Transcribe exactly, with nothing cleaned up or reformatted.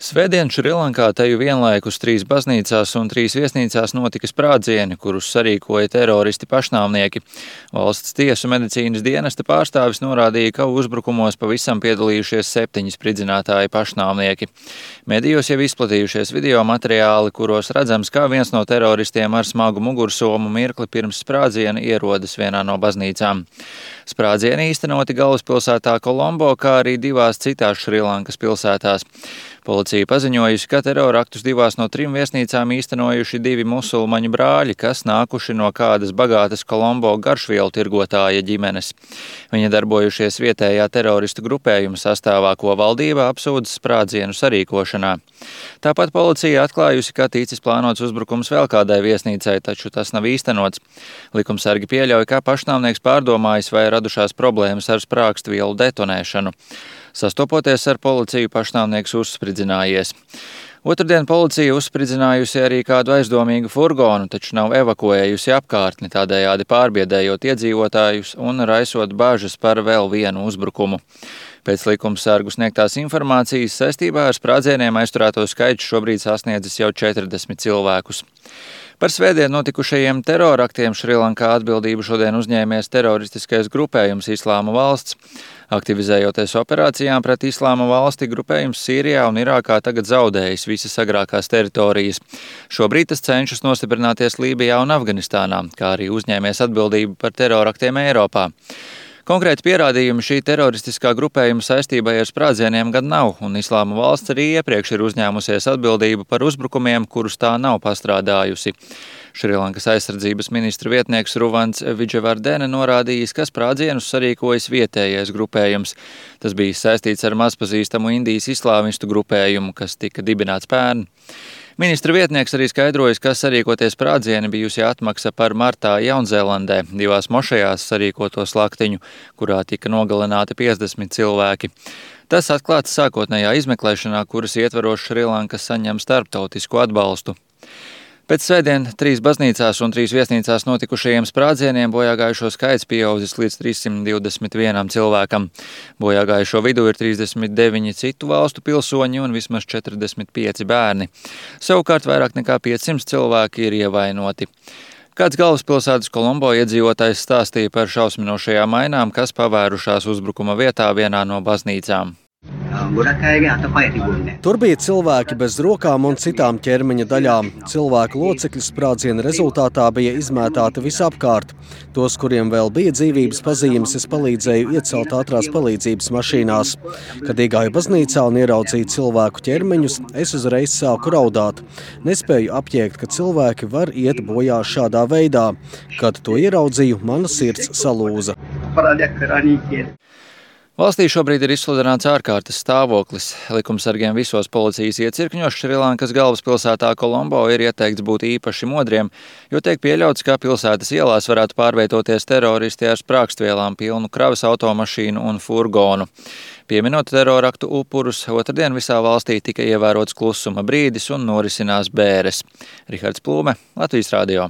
Svētdien Šrilankā teju vienlaikus trīs baznīcās un trīs viesnīcās notika sprādzieni, kurus sarīkoja teroristi pašnāvnieki. Valsts tiesu medicīnas dienesta pārstāvis norādīja, ka uzbrukumos pavisam piedalījušies septiņi spridzinātāji pašnāvnieki. Medijos jau izplatījušies video materiāli, kuros redzams, kā viens no teroristiem ar smagu mugursomu mirkli pirms sprādziena ierodas vienā no baznīcām. Sprādzieni īstenoti galvaspilsētā Kolombo, kā arī divās citās Šrilankas pilsētās. Policija paziņojusi, ka teroraktus divās no trim viesnīcām īstenojuši divi musulmaņu brāļi, kas nākuši no kādas bagātas Kolombo garšvielu tirgotāja ģimenes. Viņi darbojušies vietējā teroristu grupējuma sastāvā, ko valdība apsūdz sprādzienu sarīkošanā. Tāpat policija atklājusi, ka ticis plānots uzbrukums vēl kādai viesnīcai, taču tas nav īstenots. Likumsargi pieļauj, ka pašnāvnieks pārdomājis, vai radušās problēmas ar sprākstvielu detonēšanu. Sastopoties ar policiju, pašnāvnieks uzspridzinājies. Otrdien policija uzspridzinājusi arī kādu aizdomīgu furgonu, taču nav evakuējusi apkārtni, tādējādi pārbiedējot iedzīvotājus un raisot bažas par vēl vienu uzbrukumu. Pēc likumsargu sniegtās informācijas saistībā ar sprādzieniem aizturēto skaits šobrīd sasniedzis jau četrdesmit cilvēkus. Par svētdien notikušajiem teroraktiem Šrilankā atbildību šodien uzņēmies teroristiskais grupējums Islāma valsts. Aktivizējoties operācijām pret Islāma valsti, grupējums Sīrijā un Irākā tagad zaudējis visas agrākās teritorijas. Šobrīd tas cenšas nostiprināties Lībijā un Afganistānā, kā arī uzņēmies atbildību par teroraktiem Eiropā. Konkrēti pierādījumi šī teroristiskā grupējuma saistībai ar sprādzieniem gan nav, un Islāma valsts arī iepriekš ir uzņēmusies atbildību par uzbrukumiem, kurus tā nav pastrādājusi. Šrilankas aizsardzības ministra vietnieks Ruvans Vidževardene norādījis, ka sprādzienus sarīkojas vietējais grupējums. Tas bija saistīts ar mazpazīstamu Indijas islāmistu grupējumu, kas tika dibināts pērn. Ministra vietnieks arī skaidrojas, ka sarīkoties sprādzieni bijusi atmaksa par martā Jaunzēlandē, divās mošejās sarīkoto slaktiņu, kurā tika nogalināti piecdesmit cilvēki. Tas atklāts sākotnējā izmeklēšanā, kuras ietveros Šrilanka saņem starptautisku atbalstu. Pēc svētdien trīs baznīcās un trīs viesnīcās notikušajiem sprādzieniem bojāgājušo skaits pieaudzis līdz trīssimt divdesmit vienam cilvēkam. Bojāgājušo vidū ir trīsdesmit deviņi citu valstu pilsoņi un vismaz četrdesmit pieci bērni. Savukārt vairāk nekā piecsimt cilvēki ir ievainoti. Kāds galvaspilsētas Kolombo iedzīvotājs stāstīja par šausminošajām ainām, kas pavērušās uzbrukuma vietā vienā no baznīcām. Tur bija cilvēki bez rokām un citām ķermeņa daļām. Cilvēku locekļi sprādziena rezultātā bija izmētāti visapkārt. Tos, kuriem vēl bija dzīvības pazīmes, es palīdzēju iecelt ātrās palīdzības mašīnās. Kad iegāju baznīcā un ieraudzīju cilvēku ķermeņus, es uzreiz sāku raudāt. Nespēju apjēgt, ka cilvēki var iet bojā šādā veidā. Kad to ieraudzīju, mana sirds salūza. Valstī šobrīd ir izsludināts ārkārtas stāvoklis. Likumsargiem visos policijas iecirkņos Šrilankas galvaspilsētā Kolombo ir ieteikts būt īpaši modriem, jo tiek pieļauts, ka pilsētas ielās varētu pārvietoties teroristi ar sprākstvielām pilnu kravas automašīnu un furgonu. Pieminot teroraktu upurus, otrdien visā valstī tika ievērots klusuma brīdis un norisinās bēres. Rihards Plūme, Latvijas radio.